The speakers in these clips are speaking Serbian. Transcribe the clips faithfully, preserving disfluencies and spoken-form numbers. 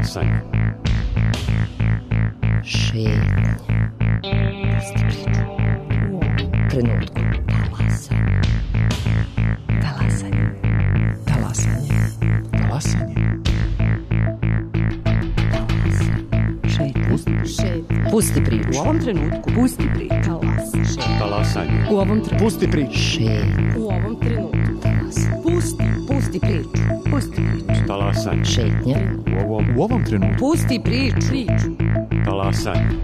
Talasanje. Šetnje. Pusti priču. U ovom trenutku. Talasanje. Talasanje. Talasanje. Talasanje. Šetnje. Pusti priču. U ovom trenutku. Pusti priču. Talasanje. U ovom trenutku. Pusti priču. Šetnje. U ovom trenutku. Pusti. Pusti priču. Pusti priču. Talasanje. Šetnje. U ovom, u ovom trenutku. Pusti priču. Priču. Talasanje.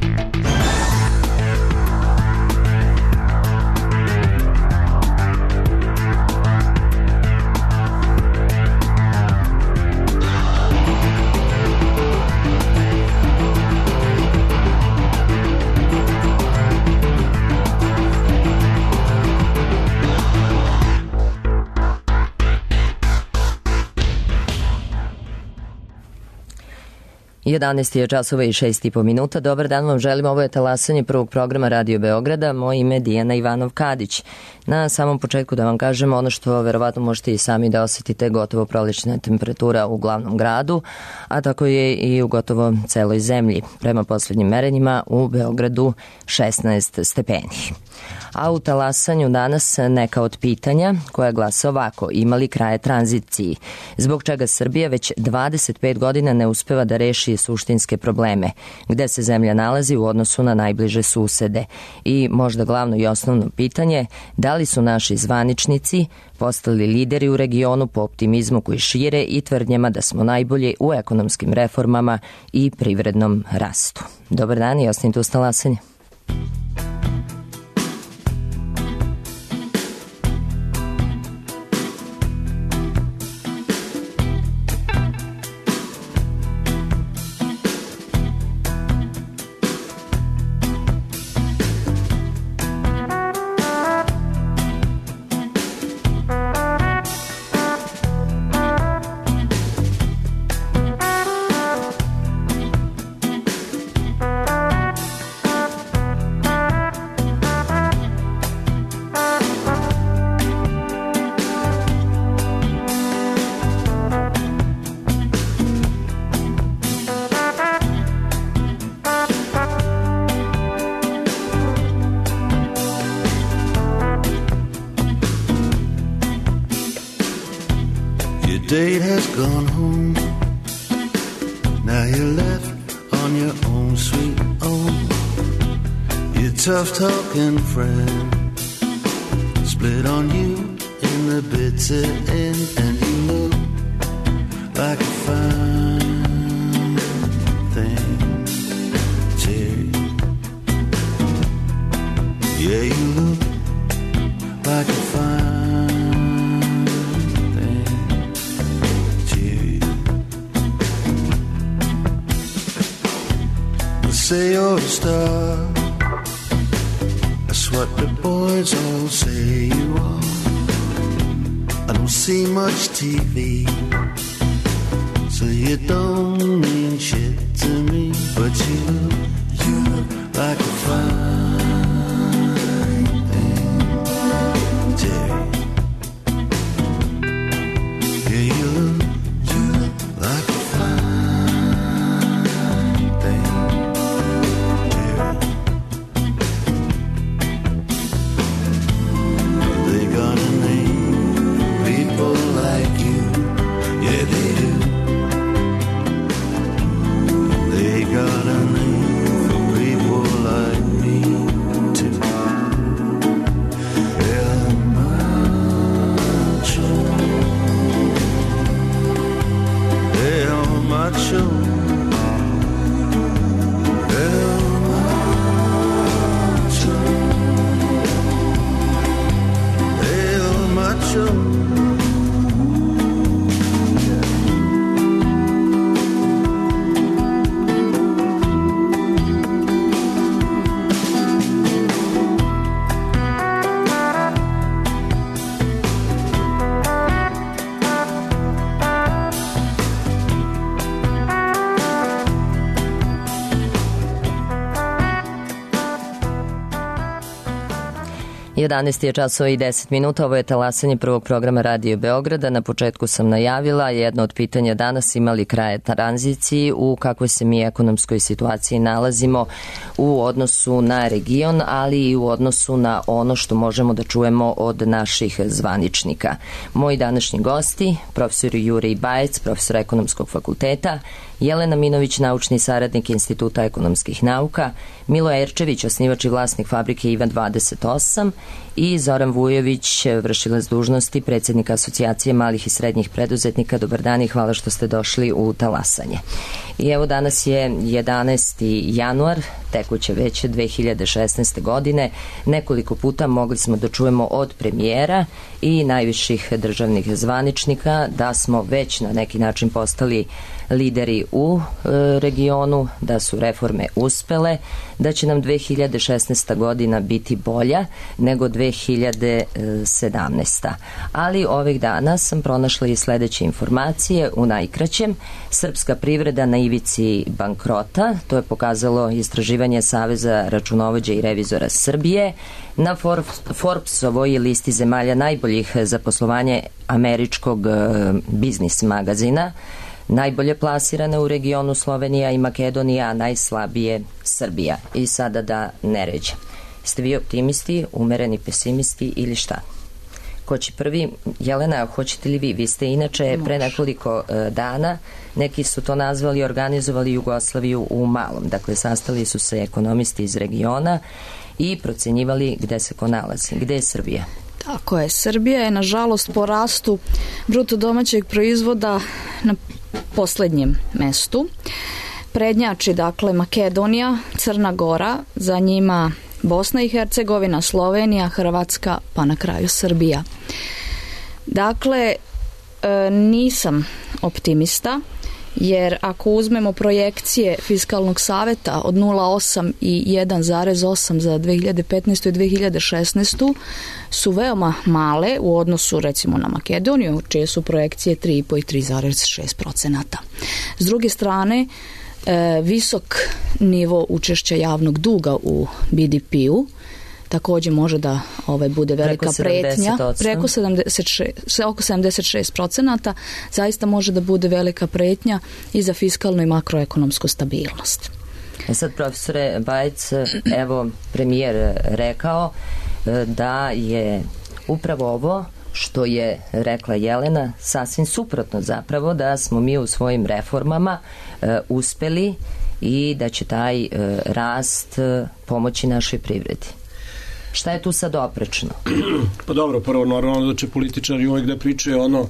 jedanaest je časova i šest i po minuta. Dobar dan vam želim. Ovo je talasanje prvog programa Radio Beograda. Moje ime je Dijana Ivanov-Kadić. Na samom početku da vam kažem ono što verovatno možete i sami da osetite, gotovo prolećna temperatura u glavnom gradu, a tako je i u gotovo celoj zemlji. Prema poslednjim merenjima u Beogradu šesnaest stepeni. A u talasanju danas neka od pitanja koja glasa ovako: ima li kraje tranziciji? Zbog čega Srbija već dvadeset pet godina ne uspeva da reši suštinske probleme? Gde se zemlja nalazi u odnosu na najbliže susede? I možda glavno i osnovno pitanje, da li su naši zvaničnici postali lideri u regionu po optimizmu koji šire i tvrdnjama da smo najbolji u ekonomskim reformama i privrednom rastu? Dobar dan i ostanite uz talasanje. Date has gone home. Now you're left on your own sweet own. Your tough talking friend split on you in the bitter end, and you look like a fine thing, Terry. Yeah, you look like a fine. Say you're a star, that's what the boys all say you are. I don't see much T V, so you don't mean shit to me. But you look, you look like a fine thing, Terry. Yeah, you look, you look like a jedanaest je časova i deset minuta, ovo je talasanje prvog programa Radio Beograda. Na početku sam najavila jedno od pitanja danas, imali kraje tranziciji, u kakvoj se mi ekonomskoj situaciji nalazimo u odnosu na region, ali i u odnosu na ono što možemo da čujemo od naših zvaničnika. Moji današnji gosti, profesor Jurij Bajec, profesor ekonomskog fakulteta, Jelena Minović, naučni saradnik Instituta ekonomskih nauka, Milo Erčević, osnivač i vlasnik fabrike Ivan dvadeset osam i Zoran Vujović, vršilac dužnosti predsjednika Asocijacije malih i srednjih preduzetnika. Dobar dan i hvala što ste došli u talasanje. I evo danas je jedanaesti januar, tekuće već dve hiljade šesnaeste. godine. Nekoliko puta mogli smo da čujemo od premijera i najviših državnih zvaničnika da smo već na neki način postali lideri u e, regionu, da su reforme uspele, da će nam dve hiljade šesnaesta. godina biti bolja nego dve hiljade sedamnaesta. Ali ovih dana sam pronašla i sledeće informacije u najkraćem. Srpska privreda na ivici bankrota, to je pokazalo istraživanje Saveza računovođa i revizora Srbije. Na Forbesovoj listi zemalja najboljih za poslovanje američkog biznis magazina najbolje plasirane u regionu Slovenija i Makedonija, a najslabije Srbija. I sada da ne ređem. Ste vi optimisti, umereni pesimisti ili šta? Ko će prvi? Jelena, hoćete li vi? Vi ste inače pre nekoliko uh, dana, neki su to nazvali, organizovali Jugoslaviju u malom. Dakle, sastali su se ekonomisti iz regiona i procenjivali gde se ko nalazi. Gde je Srbija? Tako je. Srbija je, nažalost, po rastu bruto domaćeg proizvoda na poslednjem mestu. Prednjači, dakle, Makedonija, Crna Gora, za njima Bosna i Hercegovina, Slovenija, Hrvatska, pa na kraju Srbija. Dakle, nisam optimista, jer ako uzmemo projekcije Fiskalnog saveta od nula zarez osam i jedan zarez osam za dve hiljade petnaestu. i dve hiljade šesnaestu. su veoma male u odnosu recimo na Makedoniju, čije su projekcije tri i po i tri zarez šest procenata. S druge strane, visok nivo učešća javnog duga u B D P-u takođe može da ovaj, bude velika preko pretnja. Preko sedamdeset šest, oko sedamdeset šest procenata zaista može da bude velika pretnja i za fiskalnu i makroekonomsku stabilnost. E sad, profesore Bajec, evo premijer rekao da je upravo ovo što je rekla Jelena sasvim suprotno, zapravo da smo mi u svojim reformama e, uspeli i da će taj e, rast e, pomoći našoj privredi. Šta je tu sad oprečno? Pa dobro, prvo normalno da će političari uvijek da pričaju ono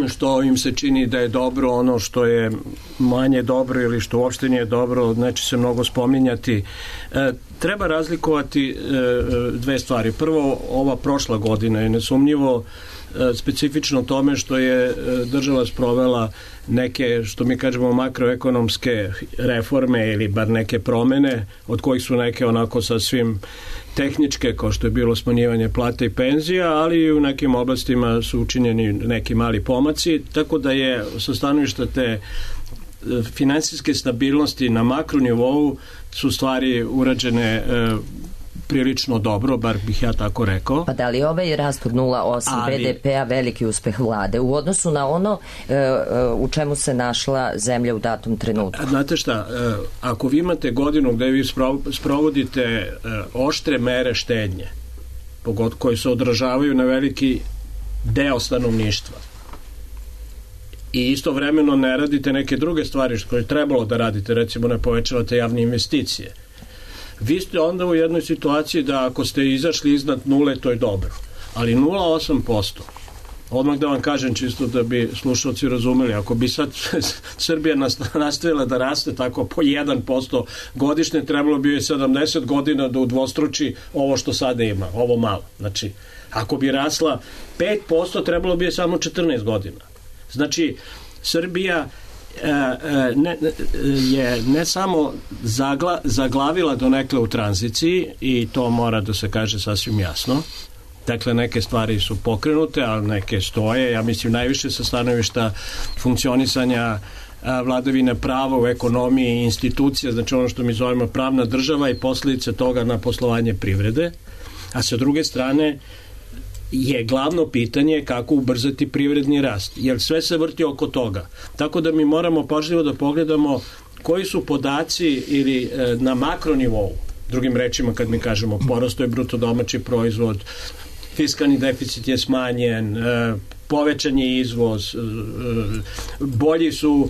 što im se čini da je dobro, ono što je manje dobro ili što uopšte nije dobro, neće se mnogo spominjati. E, treba razlikovati e, dve stvari. Prvo, ova prošla godina je nesumnjivo e, specifično tome što je e, država sprovela neke, što mi kažemo, makroekonomske reforme ili bar neke promene, od kojih su neke onako sasvim tehničke, kao što je bilo smanjivanje plata i penzija, ali i u nekim oblastima su učinjeni neki mali pomaci, tako da je sa stanovišta te finansijske stabilnosti na makronivou su stvari urađene e, prilično dobro, bar bih ja tako rekao. Pa da li ovaj rast od nula zarez osam ali... B D P-a veliki uspeh vlade u odnosu na ono e, e, u čemu se našla zemlja u datom trenutku? Znate šta, e, ako vi imate godinu gde vi sprovodite e, oštre mere štednje, pogod koji se odražavaju na veliki deo stanovništva, i istovremeno ne radite neke druge stvari koje je trebalo da radite, recimo ne povećavate javne investicije, vi ste onda u jednoj situaciji da ako ste izašli iznad nule, to je dobro. Ali nula zarez osam posto, odmah da vam kažem čisto da bi slušalci razumeli, ako bi sad Srbija nastavila da raste tako po jedan posto godišnje, trebalo bi je sedamdeset godina da udvostruči ovo što sada ima, ovo malo. Znači, ako bi rasla pet posto, trebalo bi je samo četrnaest godina. Znači, Srbija Ne, je ne samo zagla, zaglavila donekle u tranziciji, i to mora da se kaže sasvim jasno. Dakle, neke stvari su pokrenute, ali neke stoje, ja mislim najviše sa stanovišta funkcionisanja vladavine prava u ekonomiji i institucija, znači ono što mi zovemo pravna država i posljedice toga na poslovanje privrede. A sa druge strane je glavno pitanje kako ubrzati privredni rast, jer sve se vrti oko toga. Tako da mi moramo pažljivo da pogledamo koji su podaci ili e, na makronivou, drugim rečima kad mi kažemo porastao je bruto domaći proizvod, fiskalni deficit je smanjen, e, povećan je izvoz, e, bolji su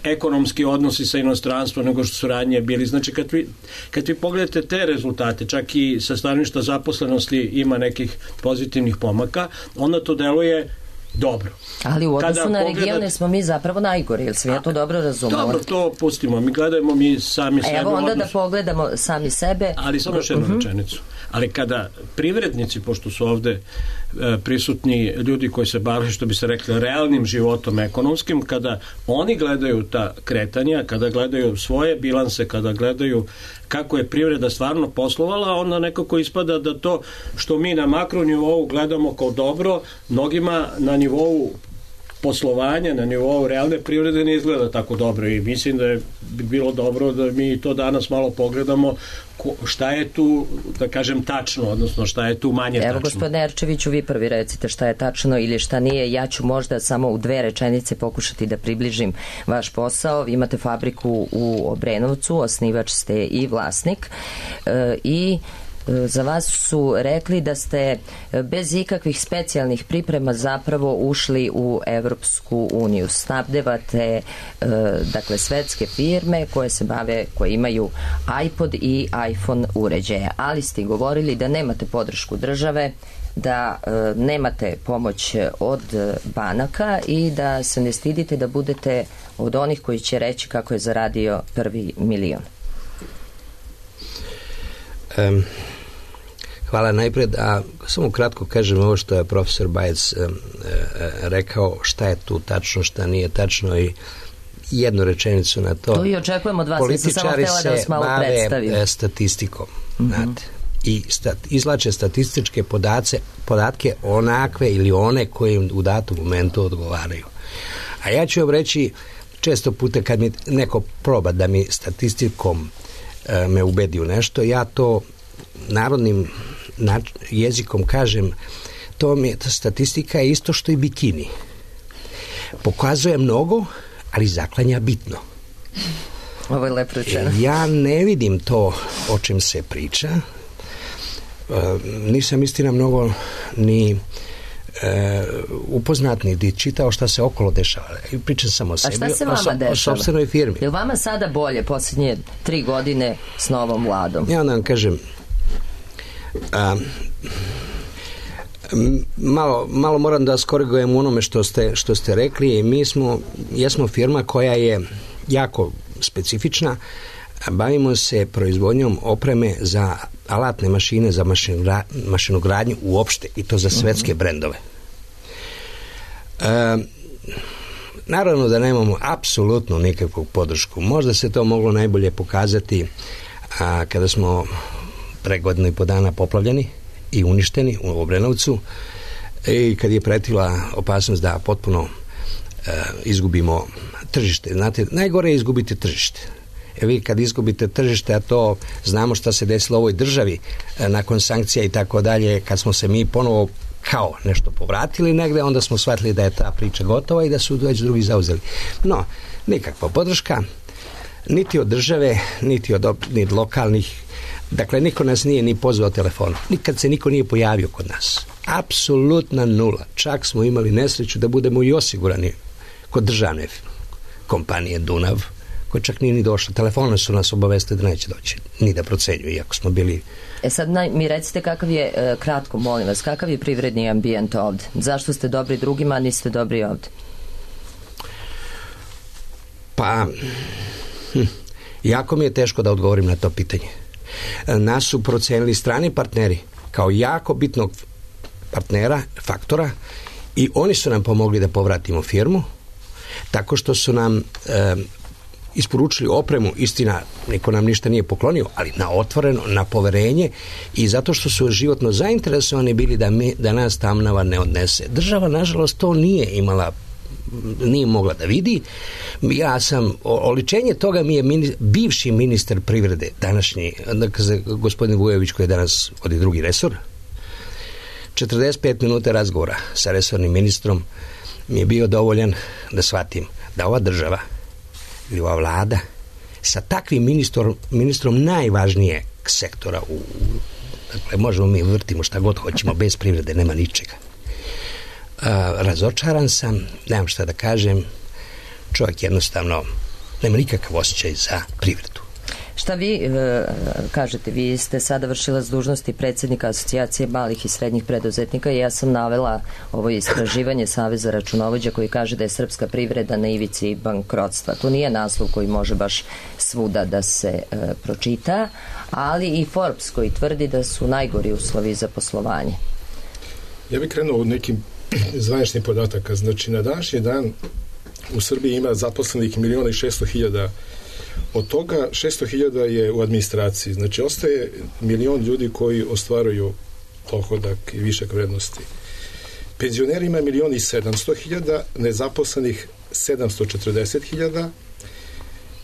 ekonomski odnosi sa inostranstvom nego što su ranije bili. Znači kad vi, kad vi pogledate te rezultate, čak i sa stanovišta zaposlenosti ima nekih pozitivnih pomaka, onda to deluje dobro. Ali u odnosu Kada na pogleda... regione smo mi zapravo najgori, jer sam ja to dobro razumela. Dobro, to pustimo. Mi gledajmo mi sami sebe. Evo onda odnos... da pogledamo sami sebe. Ali samo još jednu uh-huh. rečenicu. Ali kada privrednici, pošto su ovde e, prisutni ljudi koji se bave, što bi se rekli, realnim životom ekonomskim, kada oni gledaju ta kretanja, kada gledaju svoje bilanse, kada gledaju kako je privreda stvarno poslovala, onda nekako ispada da to što mi na makronivou gledamo kao dobro, mnogima na nivou poslovanja, na nivou realne privrede ne izgleda tako dobro i mislim da je, bi bilo dobro da mi to danas malo pogledamo ko, šta je tu, da kažem, tačno, odnosno šta je tu manje tačno. Evo, gospodine Erčeviću, vi prvi recite šta je tačno ili šta nije. Ja ću možda samo u dve rečenice pokušati da približim vaš posao. Vi imate fabriku u Obrenovcu, osnivač ste i vlasnik e, i za vas su rekli da ste bez ikakvih specijalnih priprema zapravo ušli u Evropsku uniju. Snabdevate dakle svetske firme koje se bave, koje imaju iPod i iPhone uređaje, ali ste govorili da nemate podršku države, da e, nemate pomoć od banaka i da se ne stidite da budete od onih koji će reći kako je zaradio prvi milion. Um. Hvala najpred, a samo kratko kažem ovo što je profesor Bajec e, e, rekao, šta je tu tačno, šta nije tačno i jednu rečenicu na to. To i očekujemo od vas, nisam samo htjela da vas malo predstavim. Političari se bave statistikom, mm-hmm. znate, i stat, izlače statističke podace, podatke onakve ili one koje im u datom momentu odgovaraju. A ja ću vam reći, često puta kad mi neko proba da mi statistikom e, me ubedi u nešto, ja to narodnim nač- jezikom kažem, to mi je, ta statistika je isto što i bikini. Pokazuje mnogo, ali zaklanja bitno. Ovo je lepo rečeno. Ja ne vidim to o čem se priča. E, nisam istina mnogo ni e, upoznat ni čitao šta se okolo dešava. Pričam samo o sebi. A šta se vama o, so, dešava? O sopstvenoj firmi. Je li vama sada bolje posljednje tri godine s novom vladom? Ja onda vam kažem, a, malo, malo moram da skorigujem onome što ste, što ste rekli. Mi smo, jesmo firma koja je jako specifična. Bavimo se proizvodnjom opreme za alatne mašine, za mašinogra, mašinogradnju uopšte i to za svetske brendove. E, naravno da nemamo apsolutno nikakvu podršku. Možda se to moglo najbolje pokazati a, kada smo pre godinu i po dana poplavljeni i uništeni u Obrenovcu i kad je pretila opasnost da potpuno e, izgubimo tržište. Znate, najgore je izgubiti tržište. E vi kad izgubite tržište, a to znamo šta se desilo u ovoj državi e, nakon sankcija i tako dalje, kad smo se mi ponovo kao nešto povratili negde, onda smo shvatili da je ta priča gotova i da su već drugi zauzeli. No, nikakva podrška, niti od države, niti od, niti od lokalnih. Dakle, niko nas nije ni pozvao telefonom. Nikad se niko nije pojavio kod nas. Apsolutna nula. Čak smo imali nesreću da budemo i osigurani kod državne kompanije Dunav, koja čak nije ni došla. Telefonom su nas obavestili da neće doći, ni da procenjuju, iako smo bili... E sad naj, mi recite kakav je, e, kratko molim vas, kakav je privredni ambijent ovde? Zašto ste dobri drugima, a niste dobri ovde? Pa, hm, jako mi je teško da odgovorim na to pitanje. Nas su procenili strani partneri kao jako bitnog partnera, faktora, i oni su nam pomogli da povratimo firmu tako što su nam e, isporučili opremu, istina niko nam ništa nije poklonio, ali na otvoreno, na poverenje i zato što su životno zainteresovani bili da, mi, da nas Tamnava ne odnese. Država nažalost to nije imala, nije mogla da vidi. Ja sam, oličenje toga mi je mini, bivši ministar privrede, današnji, gospodin Vujović koji je danas vodi drugi resor, četrdeset pet minuta razgovora sa resornim ministrom mi je bio dovoljan da shvatim da ova država ili ova vlada sa takvim ministrom, ministrom najvažnijeg sektora u, dakle, možemo mi vrtimo šta god hoćemo, bez privrede nema ničega. A, razočaran sam, nemam šta da kažem, čovjek jednostavno nema nikakav osjećaj za privredu. Šta vi e, kažete, vi ste sada vršilac dužnosti predsjednika Asocijacije malih i srednjih preduzetnika i ja sam navela ovo istraživanje Saveza računovođa koji kaže da je srpska privreda na ivici bankrotstva. To nije naslov koji može baš svuda da se e, pročita, ali i Forbes koji tvrdi da su najgori uslovi za poslovanje. Ja bih krenuo od nekim zvaničnih podataka. Znači, na današnji dan u Srbiji ima zaposlenih miliona i šesto hiljada. Od toga šesto hiljada je u administraciji. Znači, ostaje milion ljudi koji ostvaruju dohodak i višak vrednosti. Penzioneri ima milion i sedamsto hiljada, nezaposlenih sedamsto četrdeset hiljada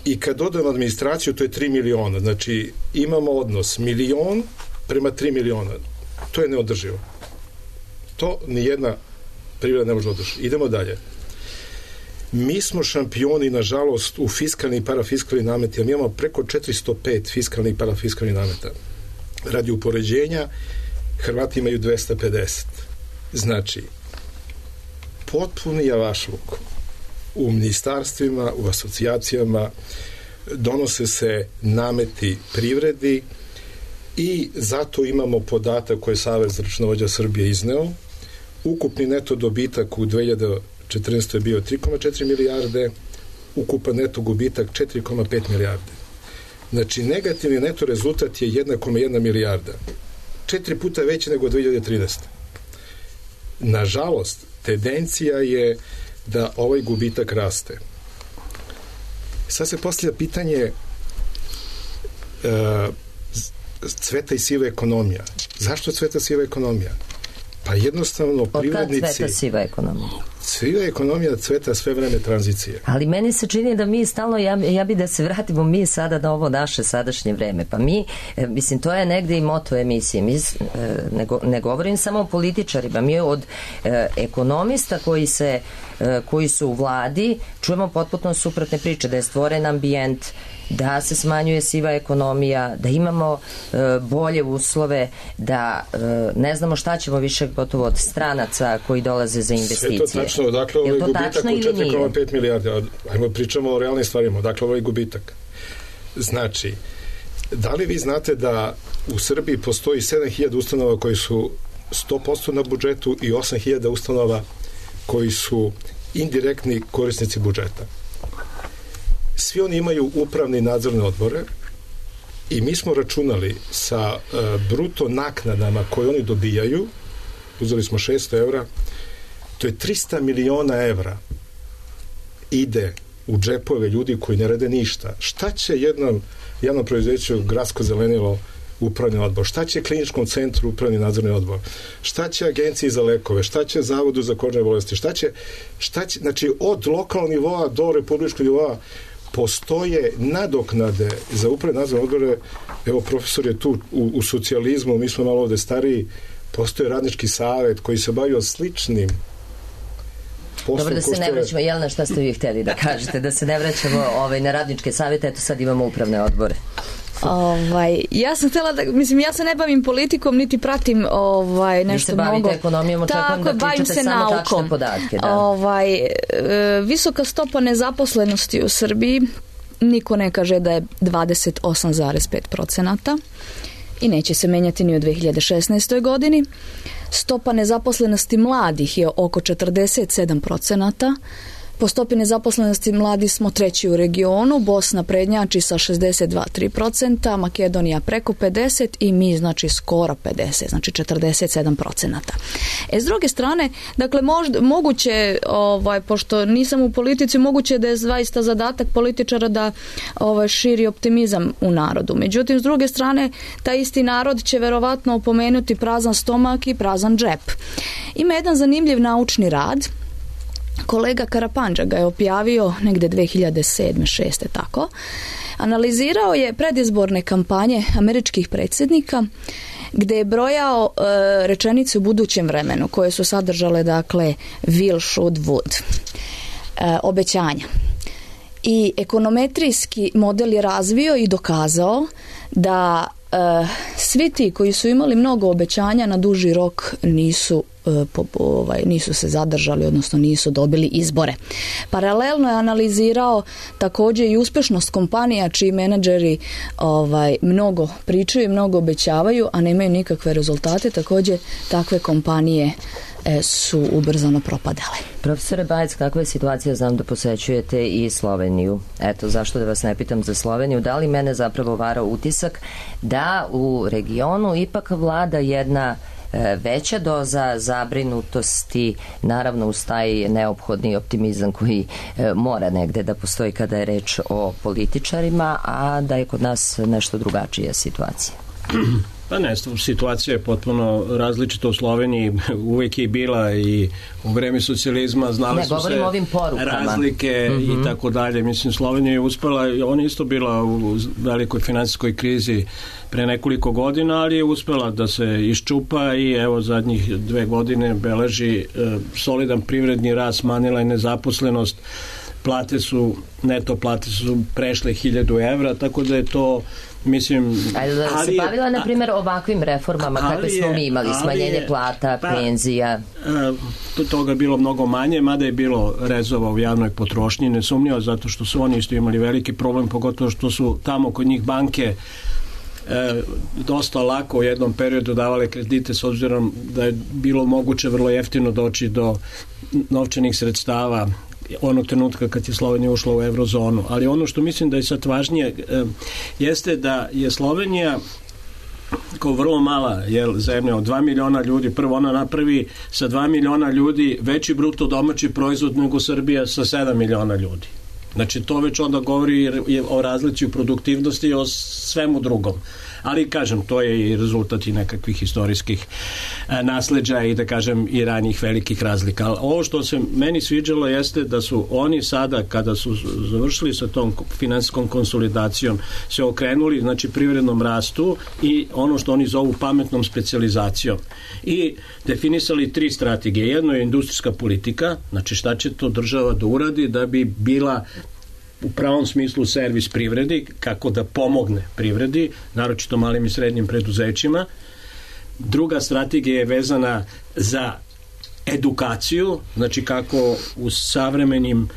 i kad dodamo administraciju, to je tri miliona. Znači, imamo odnos milion prema tri miliona. To je neodrživo. To nijedna privreda ne može održati. Idemo dalje. Mi smo šampioni, nažalost, u fiskalni i parafiskalni nameti, a mi imamo preko četiristo pet fiskalnih i parafiskalnih nameta. Radi upoređenja, Hrvati imaju dvesta pedeset. Znači, potpuni javašluk u ministarstvima, u asocijacijama, donose se nameti privredi i zato imamo podatak koji je Savez računovođa Srbije izneo. Ukupni neto dobitak u dve hiljade četrnaestoj je bio tri zarez četiri milijarde, ukupan neto gubitak četiri zarez pet milijarde. Znači, negativni neto rezultat je jedna zarez jedna milijarda. Četiri puta veći nego dve hiljade trinaeste. Nažalost, tendencija je da ovaj gubitak raste. Sad se postavlja pitanje uh, cveta i siva ekonomija. Zašto cveta siva ekonomija? Pa jednostavno privrednici... Od kad cveta siva ekonomija? Siva ekonomija cveta sve vreme tranzicije. Ali meni se čini da mi stalno, ja, ja bi da se vratimo mi sada na ovo naše sadašnje vreme. Pa mi, mislim, to je negde i moto emisije. Mi ne, go, ne govorim samo o političarima. Mi od e, ekonomista koji se e, koji su u vladi čujemo potpuno suprotne priče, da je stvoren ambijent, da se smanjuje siva ekonomija, da imamo e, bolje uslove, da e, ne znamo šta ćemo više gotovo od stranaca koji dolaze za investicije. Sve to tačno, dakle ovaj gubitak u četiri zarez pet milijarde. Ajmo pričamo o realnim stvarima, dakle ovaj gubitak. Znači, da li vi znate da u Srbiji postoji sedam hiljada ustanova koji su sto posto na budžetu i osam hiljada ustanova koji su indirektni korisnici budžeta? Svi oni imaju upravne i nadzorne odbore i mi smo računali sa uh, bruto naknadama koje oni dobijaju, uzeli smo šesto evra, to je trista miliona evra ide u džepove ljudi koji ne rade ništa. Šta će jednom javnom preduzeću Gradsko zelenilo upravni odbor? Šta će kliničkom centru upravni nadzorni odbor? Šta će agenciji za lekove? Šta će zavodu za kožne bolesti? Šta će, šta će, znači od lokalnog nivoa do republičkog nivoa postoje nadoknade za upravne nadzorne odbore. Evo, profesor je tu u, u socijalizmu, mi smo malo ovde stariji, postoje radnički savet koji se bavio sličnim poslom. Dobro, da se ne vraćamo, Jelena, šta ste vi htjeli da kažete, da se ne vraćamo ovaj, na radničke savete, eto sad imamo upravne odbore. Ovaj, ja sam htjela da, mislim, ja se ne bavim politikom, niti pratim ovaj, nešto mnogo. Vi se bavite mnogo ekonomijom, očekujem da pričate samo naukom. Tačne podatke. Da. Ovaj, e, visoka stopa nezaposlenosti u Srbiji, niko ne kaže da je dvadeset osam zarez pet procenata i neće se menjati ni u dve hiljade šesnaestoj godini. Stopa nezaposlenosti mladih je oko četrdeset sedam procenata. Po stopi nezaposlenosti mladi smo treći u regionu, Bosna prednjači sa šezdeset dva zarez tri procenta, Makedonija preko pedeset i mi znači skoro pedeset, znači četrdeset sedam procenata. E, s druge strane, dakle, možda, moguće, ovaj, pošto nisam u politici, moguće da je zaista zadatak političara da ovaj, širi optimizam u narodu. Međutim, s druge strane, taj isti narod će verovatno opomenuti prazan stomak i prazan džep. Ima jedan zanimljiv naučni rad. Kolega Karapandža ga je objavio negde dve hiljade sedme šeste tako. Analizirao je predizborne kampanje američkih predsjednika gde je brojao e, rečenice u budućem vremenu koje su sadržale dakle will, should, would, e, obećanja. I ekonometrijski model je razvio i dokazao da e, svi ti koji su imali mnogo obećanja na duži rok nisu Po, ovaj, nisu se zadržali, odnosno nisu dobili izbore. Paralelno je analizirao također i uspešnost kompanija čiji menadžeri ovaj, mnogo pričaju i mnogo obećavaju, a nemaju nikakve rezultate. Također takve kompanije e, su ubrzano propadale. Profesore Bajec, kakva je situacija? Znam da posećujete i Sloveniju. Eto, zašto da vas ne pitam za Sloveniju? Da li mene zapravo vara utisak da u regionu ipak vlada jedna veća doza zabrinutosti, naravno uz taj neophodni optimizam koji e, mora negde da postoji kada je reč o političarima, a da je kod nas nešto drugačija situacija? Pa ne, situacija je potpuno različita u Sloveniji, uvijek je bila i u vreme socijalizma znali ne, su se ovim razlike mm-hmm. i tako dalje. Mislim, Slovenija je uspela, ona isto bila u velikoj finansijskoj krizi pre nekoliko godina, ali je uspela da se iščupa i evo zadnjih dve godine beleži e, solidan privredni rast, smanjila je nezaposlenost, plate su, neto plate su prešle hiljadu evra, tako da je to mislim... Ajde da se je, bavila, na primjer, ovakvim reformama kakve smo mi imali, smanjenje je, plata, pa, penzija. To toga je bilo mnogo manje, mada je bilo rezova u javnoj potrošnji, nesumnjivo, zato što su oni isto imali veliki problem, pogotovo što su tamo kod njih banke E, dosta lako u jednom periodu davale kredite s obzirom da je bilo moguće vrlo jeftino doći do novčanih sredstava onog trenutka kad je Slovenija ušla u eurozonu. Ali ono što mislim da je sad važnije e, jeste da je Slovenija kao vrlo mala jel, zemlja od dva miliona ljudi, prvo ona napravi sa dva miliona ljudi veći bruto domaći proizvod nego Srbija sa sedam miliona ljudi. Znači to već onda govori o razlici u produktivnosti i o svemu drugom. Ali kažem, to je i rezultat i nekakvih historijskih e, nasleđa i da kažem i ranijih velikih razlika. Ali ovo što se meni sviđalo jeste da su oni sada kada su završili sa tom finansijskom konsolidacijom se okrenuli znači privrednom rastu i ono što oni zovu pametnom specijalizacijom i definisali tri strategije. Jedno je industrijska politika, znači šta će to država da uradi da bi bila u pravom smislu servis privredi, kako da pomogne privredi, naročito malim i srednjim preduzećima. Druga strategija je vezana za edukaciju, znači kako u savremenim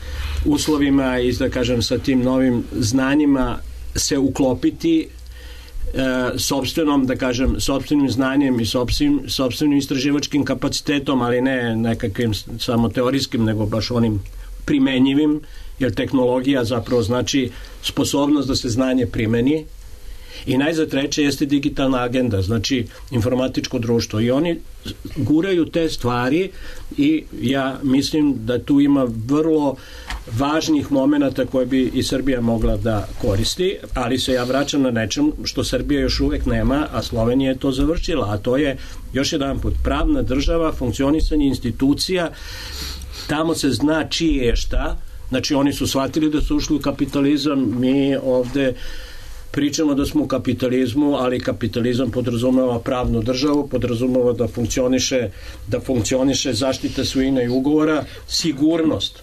uslovima i da kažem sa tim novim znanjima se uklopiti e, sopstvenom, da kažem, sopstvenim znanjem i sopstvenim, sopstvenim istraživačkim kapacitetom, ali ne nekakvim samo teorijskim, nego baš onim primenjivim, jer tehnologija zapravo znači sposobnost da se znanje primeni. I najzad treće jeste digitalna agenda, znači informatičko društvo. I oni guraju te stvari i ja mislim da tu ima vrlo važnih momenata koje bi i Srbija mogla da koristi, ali se ja vraćam na nečem što Srbija još uvek nema, a Slovenija je to završila, a to je još jedan put pravna država, funkcionisanje institucija, tamo se zna čije je šta. Znači oni su shvatili da su ušli u kapitalizam, mi ovde pričamo da smo u kapitalizmu, ali kapitalizam podrazumeva pravnu državu, podrazumeva da funkcioniše, da funkcioniše zaštita svojine i ugovora, sigurnost.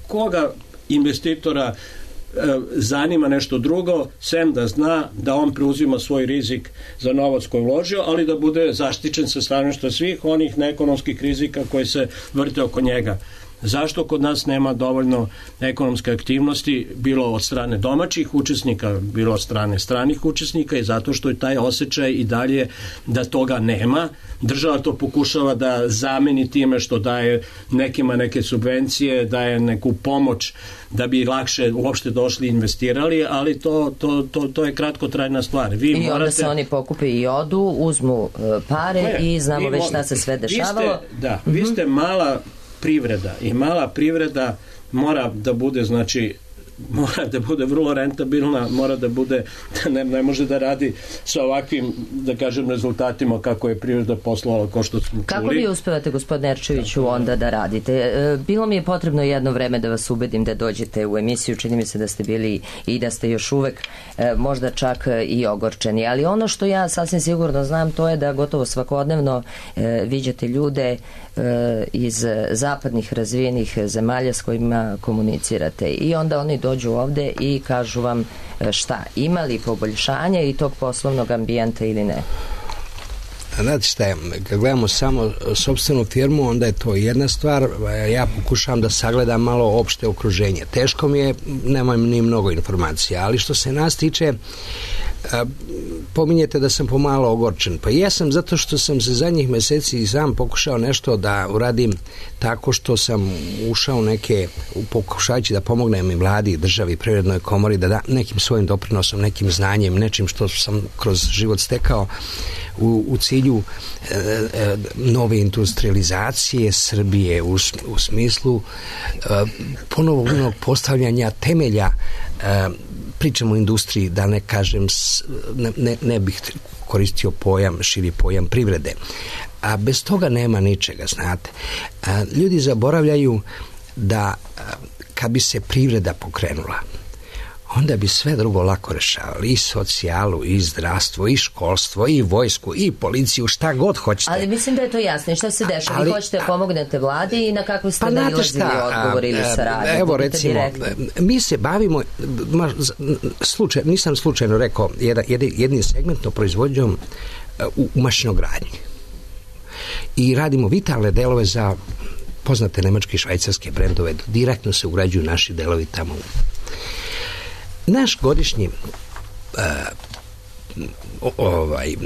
Koga investitora e, zanima nešto drugo, sem da zna da on preuzima svoj rizik za novac koji uložio, ali da bude zaštićen sa stanovišta svih onih neekonomskih rizika koji se vrte oko njega. Zašto kod nas nema dovoljno ekonomske aktivnosti, bilo od strane domaćih učesnika, bilo od strane stranih učesnika, i zato što je taj osjećaj i dalje da toga nema. Država to pokušava da zameni time što daje nekima neke subvencije, daje neku pomoć da bi lakše uopšte došli i investirali, ali to, to, to, to je kratkotrajna stvar. Vi I morate... onda se oni pokupe i odu, uzmu uh, pare ne, i znamo već šta se sve dešavalo. Vi ste, da, mm-hmm. vi ste mala privreda i mala privreda mora da bude znači mora da bude vrlo rentabilna, mora da bude, ne, ne može da radi sa ovakvim, da kažem, rezultatima kako je privreda poslovala, kao što smo čuli. Kako vi uspevate, gospodine Erčeviću, onda da radite? Bilo mi je potrebno jedno vreme da vas ubedim da dođete u emisiju, čini mi se da ste bili i da ste još uvek možda čak i ogorčeni, ali ono što ja sasvim sigurno znam, to je da gotovo svakodnevno viđate ljude iz zapadnih razvijenih zemalja s kojima komunicirate i onda oni dođu ovde i kažu vam šta, ima li poboljšanja i tog poslovnog ambijenta ili ne? Znate šta je, kad gledamo samo sopstvenu firmu, onda je to jedna stvar, ja pokušavam da sagledam malo opšte okruženje. Teško mi je, nemam ni mnogo informacija, ali što se nas tiče, pominjete da sam pomalo ogorčen. Pa jesam zato što sam se zadnjih meseci i sam pokušao nešto da uradim tako što sam ušao neke, pokušajući da pomognem i vladi, državi, privrednoj komori, da da nekim svojim doprinosom, nekim znanjem, nečim što sam kroz život stekao u, u cilju e, e, nove industrializacije Srbije u, u smislu e, ponovnog postavljanja temelja, e, pričamo o industriji, da ne kažem, ne, ne, ne bih koristio pojam, širi pojam privrede. A bez toga nema ničega, znate. A, ljudi zaboravljaju da a, kad bi se privreda pokrenula, onda bi sve drugo lako rešavali, i socijalu, i zdravstvo, i školstvo, i vojsku, i policiju, šta god hoćete. Ali mislim da je to jasno. I šta se dešava? Vi hoćete pomognete vladi i na kakve ste pa nailazili odgovor ili saradnju? Evo recimo, direktno. Mi se bavimo, slučaj, nisam slučajno rekao, jedan, jednim segmentno proizvodnjom u, u mašinogradnji. I radimo vitalne delove za poznate nemačke i švajcarske brendove. Direktno se ugrađuju naši delovi tamo. Naš godišnji uh, ovaj uh,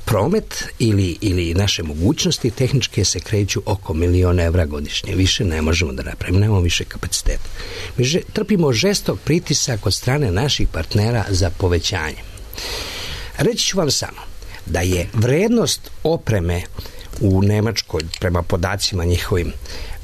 promet ili, ili naše mogućnosti tehničke se kreću oko miliona evra godišnje. Više ne možemo da napravimo, nemamo više kapaciteta. Mi že, trpimo žestok pritisak od strane naših partnera za povećanje. Reći ću vam samo da je vrednost opreme u Nemačkoj, prema podacima njihovim,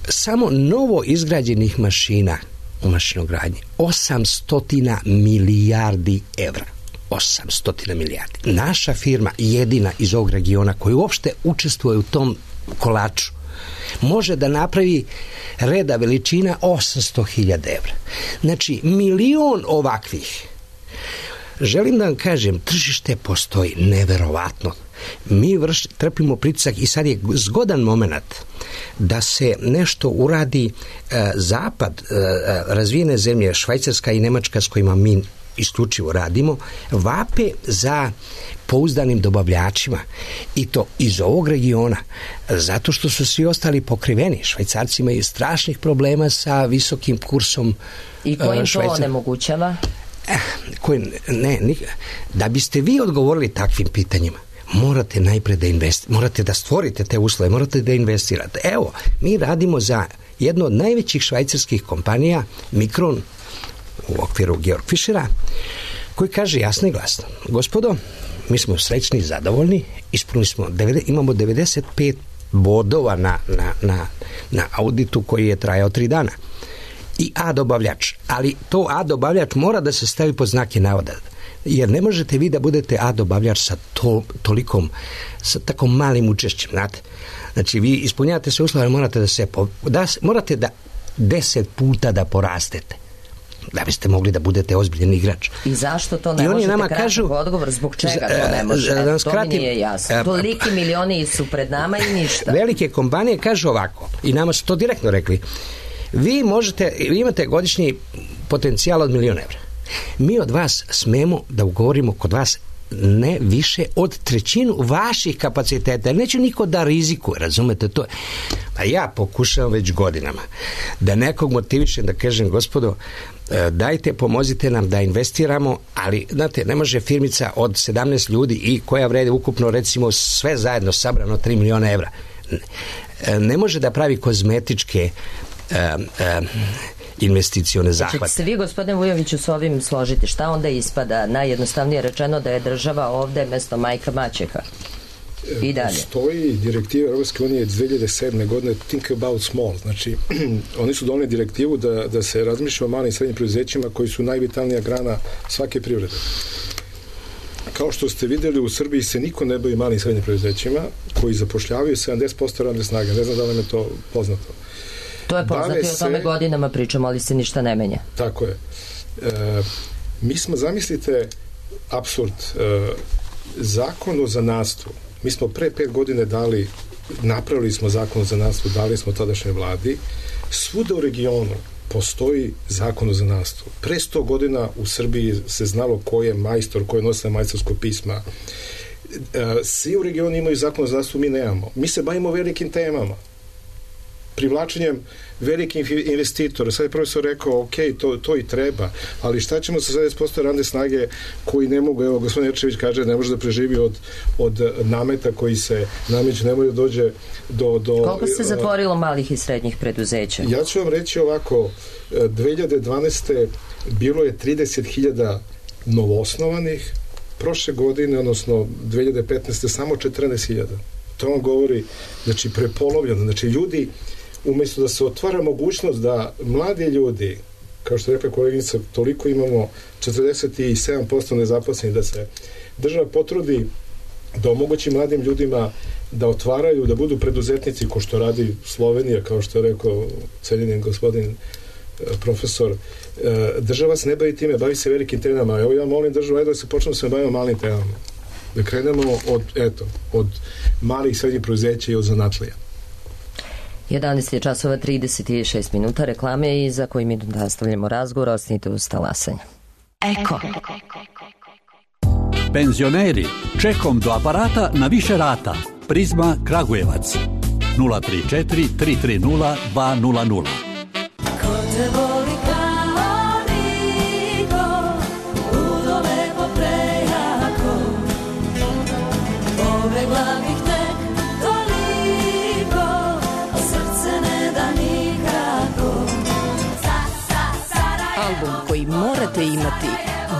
samo novo izgrađenih mašina u mašinogradnji osamsto milijardi evra. osamsto milijardi. Naša firma, jedina iz ovog regiona koja uopšte učestvuje u tom kolaču, može da napravi reda veličina osamsto hiljada evra. Znači, milion ovakvih. Želim da vam kažem, tržište postoji neverovatno. Mi vrš, trpimo pritisak i sad je zgodan moment da se nešto uradi. e, zapad, e, razvijene zemlje, Švajcarska i Nemačka s kojima mi isključivo radimo, vape za pouzdanim dobavljačima i to iz ovog regiona, zato što su svi ostali pokriveni. Švajcarci imaju strašnih problema sa visokim kursom. I kojim to onemogućava? Eh, koji, ne, nik, da biste vi odgovorili takvim pitanjima, morate najpre da investirate, morate da stvorite te uslove, morate da investirate. Evo, mi radimo za jednu od najvećih švajcarskih kompanija, Mikron, u okviru Georg Fischera, koji kaže jasno i glasno: gospodo, mi smo srećni i zadovoljni, ispunili smo, imamo devedeset pet bodova na, na, na, na auditu koji je trajao tri dana. I A dobavljač, ali to A dobavljač mora da se stavi pod znake navoda, jer ne možete vi da budete A dobavljač sa to, tolikom, sa tako malim učešćem, znate. Znači, vi ispunjavate se uslove, morate da se, da, morate da deset puta da porastete, da biste mogli da budete ozbiljen igrač. I zašto to ne možete kratak kažu, odgovor, zbog čega to ne može? Da to mi nije jasno. Toliki milioni su pred nama i ništa. Velike kompanije kažu ovako, i nama su to direktno rekli: vi možete, vi imate godišnji potencijal od milion evra. Mi od vas smemo da ugovorimo kod vas ne više od trećinu vaših kapaciteta. Neće niko da rizikuje, razumete to? A ja pokušavam već godinama da nekog motivišem, da kažem: gospodo, dajte, pomozite nam da investiramo, ali, znate, ne može firmica od sedamnaest ljudi i koja vrede ukupno, recimo, sve zajedno sabrano tri miliona evra, ne može da pravi kozmetičke Uh, uh, investicione zahvate. Čete se vi, gospodine Vujoviću, s ovim složiti? Šta onda ispada? Najjednostavnije rečeno da je država ovde mesto majka maćeha. I dalje. Stoji direktiva Europske unije dve hiljade sedme godine Think About Small. Znači, oni su doneli direktivu da, da se razmišlja o malim i srednjim preduzećima koji su najvitalnija grana svake privrede. Kao što ste videli, u Srbiji se niko ne bavi malim i srednjim preduzećima koji zapošljavaju sedamdeset posto radne snage. Ne znam da li je to poznato. To je poznato i o tome se, godinama pričamo, ali se ništa ne menja. Tako je. E, mi smo, zamislite, apsurd, e, zakon o zanatstvu. Mi smo pre pet godine dali, napravili smo zakon o zanatstvu, dali smo tadašnjoj vladi. Svuda u regionu postoji zakon o zanatstvu. Pre sto godina u Srbiji se znalo ko je majstor, ko je nosio majstorsko pisma. Svi u regionu imaju zakon o zanatstvu, mi nemamo. Mi se bavimo velikim temama. Privlačenjem velikih investitora. Sad je profesor rekao, ok, to, to i treba, ali šta ćemo sa sedamdeset posto radne snage koji ne mogu, evo, gospodin Jerčević kaže, ne može da preživi od, od nameta koji se nameću, ne može da dođe do... do Koliko se zatvorilo malih i srednjih preduzeća? Ja ću vam reći ovako, dve hiljade dvanaeste. bilo je trideset hiljada novoosnovanih, prošle godine, odnosno dve hiljade petnaeste. samo četrnaest hiljada. To vam govori, znači, prepolovljeno. Znači, ljudi, umjesto da se otvara mogućnost da mladi ljudi, kao što je rekla koleginica, toliko imamo četrdeset sedam posto nezaposlenih, da se država potrudi da omogući mladim ljudima da otvaraju, da budu preduzetnici, ko što radi Slovenija, kao što je rekao cenjeni gospodin profesor. Država se ne bavi time, bavi se velikim temama. Evo ja molim državu, ajde da se počnemo se bavimo malim temama. Da krenemo od, eto, od malih i srednjih preduzeća i od zanatlija. jedanaest je časova trideset šest minuta, reklame i za koji mi nastavljamo razgovor, ostanite uz talasanje. Eko. Penzioneri, čekom do aparata na više rata. Prizma Kragujevac. nula tri četiri tri tri nula dva nula nula. Ko te voli kao niko, udove po prejako, pobegla bih tek toliko, a srce ne da nikako. Album koji morate imati,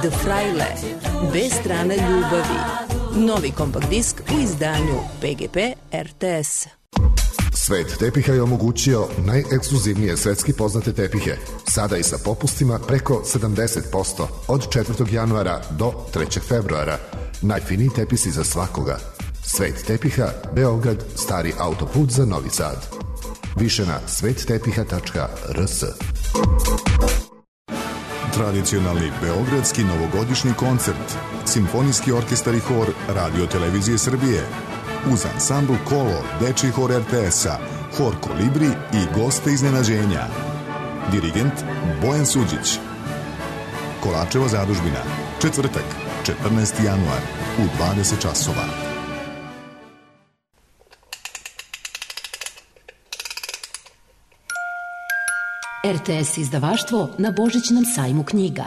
The Fraile, B strana ljubavi. Novi kompakt disk u izdanju P G P R T S. Svet tepiha je omogućio najekskluzivnije svetski poznate tepihe, sada i sa popustima preko sedamdeset posto od četvrtog januara do trećeg februara. Najfiniji tepisi za svakoga. Svet tepiha, Beograd, stari autoput za Novi Sad. Više na svet tepiha tačka r s. Tradicionalni beogradski novogodišnji koncert, Simfonijski orkestar i hor Radio Televizije Srbije, uz ansambl Kolo, dečiji hor R T S-a, hor Kolibri i goste iznenađenja. Dirigent Bojan Suđić. Kolačevo zadužbina, četvrtak, četrnaesti januar, u dvadeset časova. R T S izdavaštvo na Božićnom sajmu knjiga.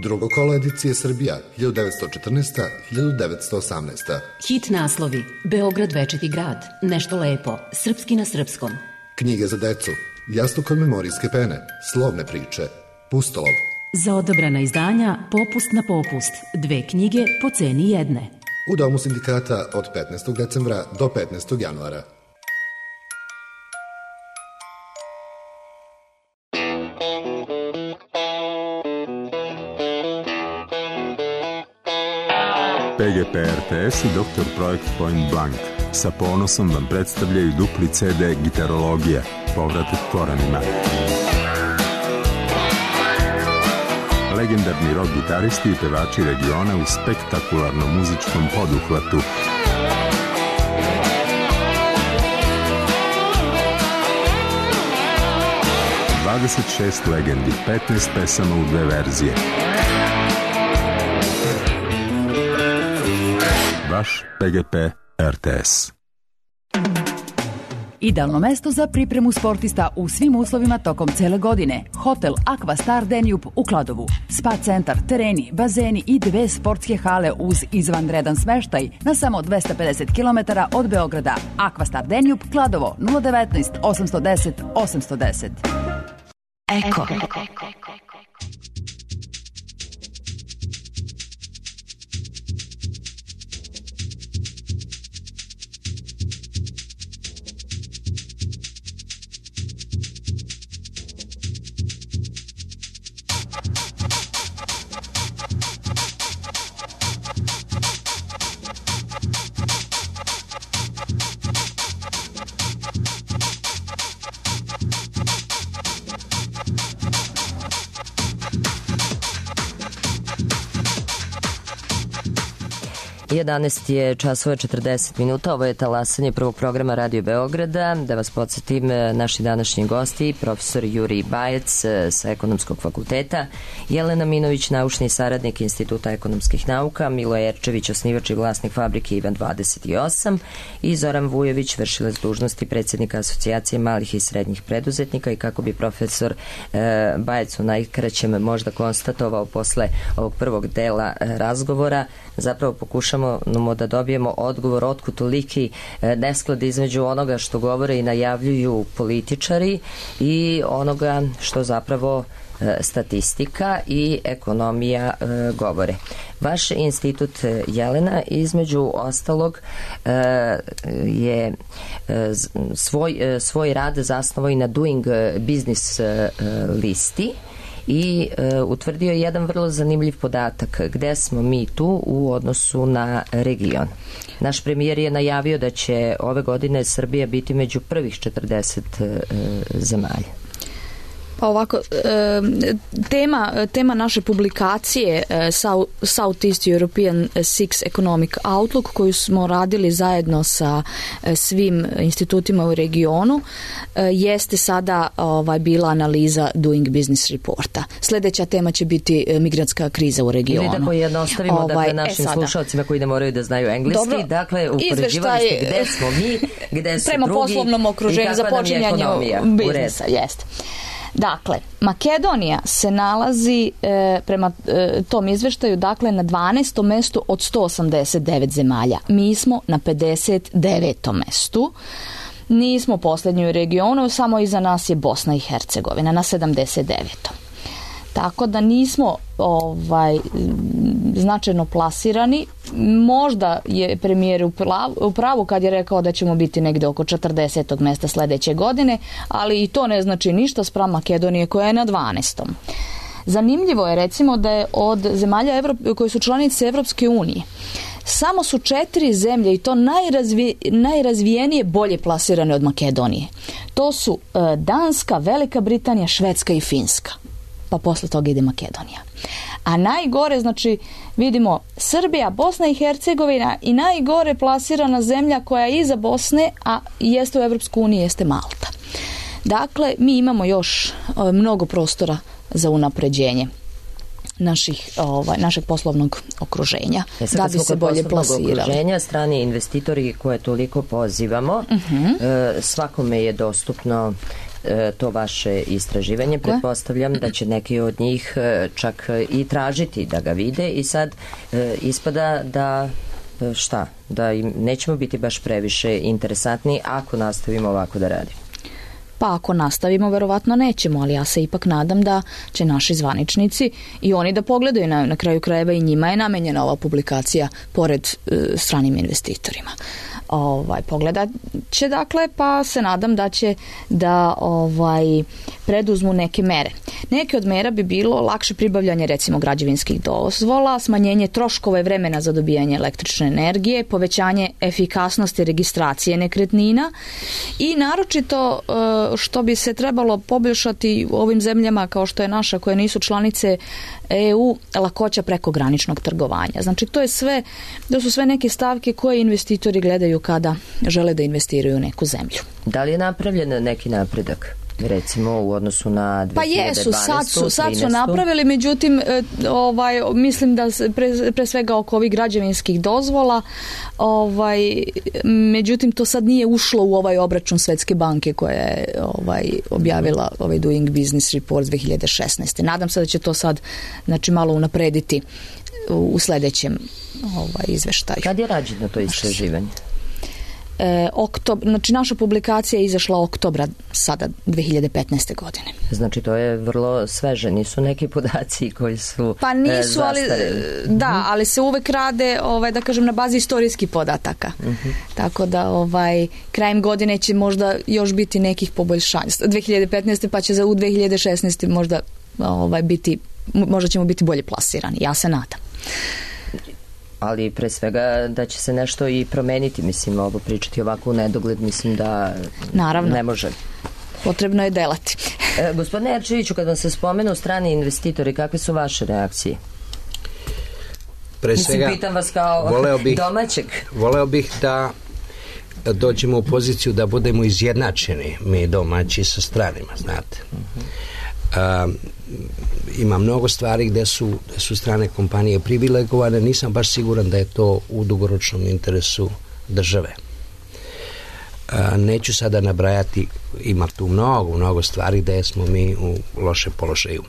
Drugo kolo edicije Srbija, hiljadu devetsto četrnaesta do hiljadu devetsto osamnaesta. Hit naslovi: Beograd večiti grad, Nešto lepo, Srpski na srpskom. Knjige za decu, Jastuk od memorijske pene, Slovne priče, Pustolov. Za odabrana izdanja Popust na popust, dve knjige po ceni jedne. U Domu sindikata od petnaestog decembra do petnaestog januara. P G P R T S i doktor Projekt Point Blank sa ponosom vam predstavljaju dupli C D Gitarologija, povratak korenima. Legendarni rock gitaristi i pevači regiona u spektakularnom muzičkom poduhvatu. dvadeset šest legendi, petnaest pesama u dve verzije. Vaš P G P R T S. Idealno mesto za pripremu sportista u svim uslovima tokom cele godine. Hotel Aqua Star Danube u Kladovu. Spa centar, tereni, bazeni i dve sportske hale uz izvanredan smeštaj na samo dvesta pedeset kilometara od Beograda. Aqua Star Danube, Kladovo, nula devetnaest osamsto deset osamsto deset. Eko. jedanaest je časova četrdeset minuta, ovo je talasanje prvog programa Radio Beograda. Da vas podsjetim, naši današnji gosti, profesor Jurij Bajec sa Ekonomskog fakulteta, Jelena Minović, naučni saradnik Instituta ekonomskih nauka, Milo Jerčević, osnivač i vlasnik fabrike Ivan dvadeset osam i Zoran Vujović, vršilac dužnosti predsjednika Asocijacije malih i srednjih preduzetnika. I kako bi profesor e, Bajec u najkraćem možda konstatovao posle ovog prvog dela e, razgovora, zapravo pokušamo da dobijemo odgovor otkud toliki nesklad između onoga što govore i najavljuju političari i onoga što zapravo statistika i ekonomija govore. Vaš institut, Jelena, između ostalog je svoj, svoj rad zasnovao i na Doing Business listi i e, utvrdio je jedan vrlo zanimljiv podatak gde smo mi tu u odnosu na region. Naš premijer je najavio da će ove godine Srbija biti među prvih četrdeset e, zemalja. Pa ovako, tema, tema naše publikacije Southeast European Six Economic Outlook, koju smo radili zajedno sa svim institutima u regionu, jeste sada ovaj, bila analiza Doing Business reporta. Sljedeća tema će biti migrantska kriza u regionu. Ili da pojednostavimo ovaj, dakle, našim e slušalcima koji ne moraju da znaju engleski. Dobro, dakle, upoređivali ste gde smo mi, gde su prema drugi poslovnom okruženju za počinjanju biznisa. Jeste. Dakle, Makedonija se nalazi e, prema e, tom izveštaju dakle na dvanaestom mestu od sto osamdeset devet zemalja. Mi smo na pedeset devetom mestu. Nismo posljednji u regionu, samo iza nas je Bosna i Hercegovina na sedamdeset devetom Tako da nismo ovaj, značajno plasirani. Možda je premijer u pravu kad je rekao da ćemo biti negde oko četrdesetog mesta sledeće godine, ali i to ne znači ništa spram Makedonije koja je na dvanaestom Zanimljivo je recimo da je od zemalja Evrop, koje su članice Evropske unije samo su četiri zemlje i to najrazvi, najrazvijenije bolje plasirane od Makedonije. To su e, Danska, Velika Britanija, Švedska i Finska. Pa posle toga ide Makedonija. A najgore, znači, vidimo Srbija, Bosna i Hercegovina i najgore plasirana zemlja koja je iza Bosne, a jeste u Evropsku uniju, jeste Malta. Dakle, mi imamo još o, mnogo prostora za unapređenje naših, ovaj, našeg poslovnog okruženja, e da bi se bolje plasirali. Okruženja, strani investitori koje toliko pozivamo, uh-huh. e, svakome je dostupno to vaše istraživanje. Pretpostavljam da će neki od njih čak i tražiti da ga vide i sad ispada da šta, da im nećemo biti baš previše interesantni ako nastavimo ovako da radimo. Pa ako nastavimo, verovatno nećemo, ali ja se ipak nadam da će naši zvaničnici i oni da pogledaju na, na kraju krajeva i njima je namenjena ova publikacija pored e, stranim investitorima. Ovaj, pogledat će dakle, pa se nadam da će da ovaj, preduzmu neke mere. Neke od mera bi bilo lakše pribavljanje recimo građevinskih dozvola, smanjenje troškova i vremena za dobijanje električne energije, povećanje efikasnosti registracije nekretnina i naročito što bi se trebalo poboljšati u ovim zemljama kao što je naša koje nisu članice E U, lakoća prekograničnog trgovanja. Znači to je sve, to su sve neke stavke koje investitori gledaju kada žele da investiraju u neku zemlju. Da li je napravljen neki napredak? Recimo u odnosu na dve hiljade dvanaestu. Pa jesu, sad su, sad su napravili, međutim ovaj, mislim da pre, pre svega oko ovih građevinskih dozvola, ovaj, međutim to sad nije ušlo u ovaj obračun Svetske banke koja je ovaj, objavila ovaj Doing Business Report dve hiljade šesnaeste. Nadam se da će to sad znači, malo unaprediti u, u sledećem ovaj, izveštaju. Kad je rađeno to istraživanje? E, oktob, znači naša publikacija je izašla oktobra sada dve hiljade petnaeste godine. Znači to je vrlo sveže, nisu neki podaci koji su pa nisu, e, ali da, ali se uvek rade ovaj, da kažem na bazi istorijskih podataka. Uh-huh. Tako da ovaj, krajem godine će možda još biti nekih poboljšanja. dve hiljade petnaeste pa će za u dve hiljade šesnaeste možda ovaj, biti, možda ćemo biti bolje plasirani. Ja se nadam. Ali pre svega da će se nešto i promeniti, mislim, ovo pričati ovako u nedogled, mislim da Naravno. ne može. Potrebno je delati. e, gospodine Jerčeviću, kad vam se spomenu strani investitori, kakve su vaše reakcije? pre Mislim, svega, pitam vas kao voleo bih, domaćeg. Voleo bih da dođemo u poziciju da budemo izjednačeni mi domaći sa stranima, znate. Uh, ima mnogo stvari gde su, gde su strane kompanije privilegovane, nisam baš siguran da je to u dugoročnom interesu države. Uh, neću sada nabrajati, ima tu mnogo, mnogo stvari gde smo mi u lošem položaju.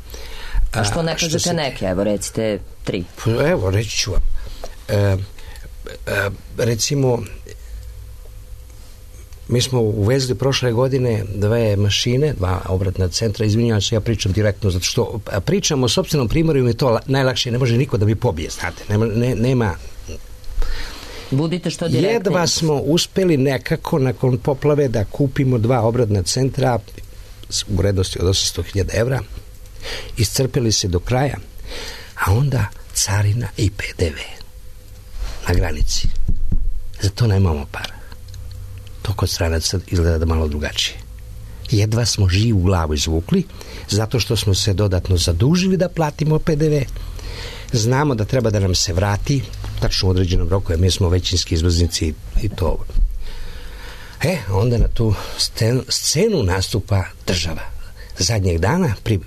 A što ne kažete se... neke, evo recite tri. Evo, reći ću vam. Uh, uh, recimo, mi smo uvezli prošle godine dve mašine, dva obratna centra, izvinjavam se, ja pričam direktno, zato što pričam o sopstvenom primjeru i mi je to najlakše, ne može niko da mi pobije, znate, nema, ne, nema budite što direktni. Jedva smo uspeli nekako nakon poplave da kupimo dva obradna centra u vrednosti od osamsto hiljada evra, iscrpili se do kraja, a onda carina i P D V na granici. Za to nemamo para. To kod stranaca izgleda da malo drugačije. Jedva smo živu glavu izvukli, zato što smo se dodatno zadužili da platimo P D V. Znamo da treba da nam se vrati tačno u određenom roku, jer mi smo većinski izvoznici i to. E, onda na tu scenu, scenu nastupa država. Zadnjeg dana, pri,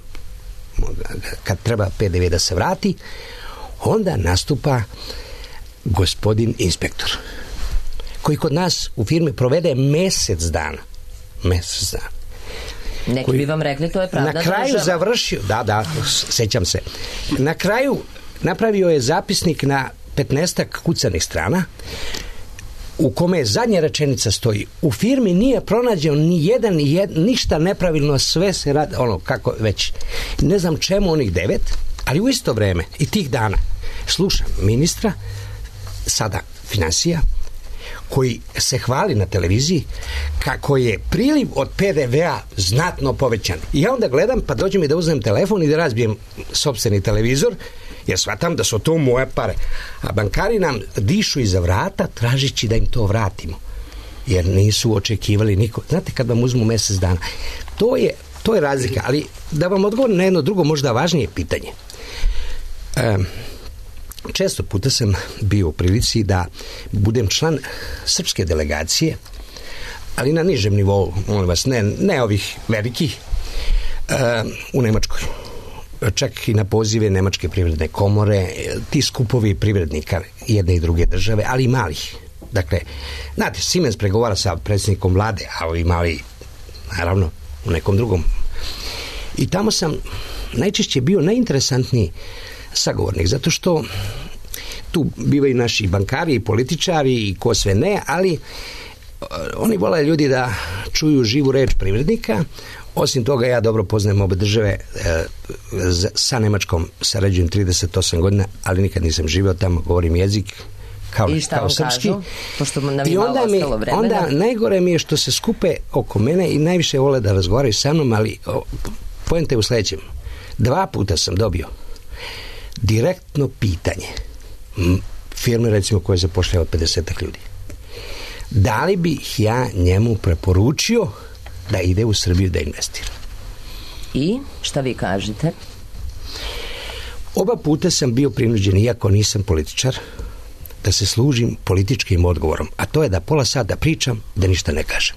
kad treba P D V da se vrati, onda nastupa gospodin inspektor, koji kod nas u firmi provede mesec dana. Mesec dana. Neki koji, bi vam rekli, to je pravda. Na kraju država. Završio, da, da, sećam se. Na kraju napravio je zapisnik na petnaestak kucanih strana, u kome je zadnja rečenica stoji: u firmi nije pronađeno ni jedan, ni jed, ništa nepravilno, sve se radi, ono, kako već. Ne znam čemu onih devet, ali u isto vreme i tih dana slušam ministra, sada finansija, koji se hvali na televiziji kako je priliv od P D V-a znatno povećan. I ja onda gledam, pa dođem i da uzmem telefon i da razbijem sopstveni televizor, jer shvatam da su to moje pare. A bankari nam dišu iza vrata tražići da im to vratimo, jer nisu očekivali niko. Znate, kad vam uzmu mesec dana, to je, to je razlika. Ali da vam odgovorim na jedno drugo, možda važnije pitanje. Um, Često puta sam bio u prilici da budem član srpske delegacije, ali na nižem nivou, molim vas, ne, ne ovih velikih, uh, u Nemačkoj. Čak i na pozive Nemačke privredne komore, ti skupovi privrednika jedne i druge države, ali i malih. Dakle, znate, Siemens pregovara sa predsjednikom vlade, a ovi mali, naravno, u nekom drugom. I tamo sam najčešće bio najinteresantniji sagovornik, zato što tu bivaju naši bankari i političari i ko sve ne, ali uh, oni vole ljudi da čuju živu reč privrednika. Osim toga, ja dobro poznajem obe države, uh, sa Nemačkom sarađujem trideset osam godina, ali nikad nisam živeo tamo, govorim jezik kao, i šta kao vam srpski. Kažu? Pošto nam I onda, mi, onda najgore mi je što se skupe oko mene i najviše vole da razgovaraju sa mnom, ali oh, poenta je u sledećem. Dva puta sam dobio direktno pitanje firme, recimo, koje zapošljava pedeset ljudi. Da li bih ja njemu preporučio da ide u Srbiju da investira? I šta vi kažete? Oba puta sam bio prinuđen, iako nisam političar, da se služim političkim odgovorom, a to je da pola sata pričam, da ništa ne kažem.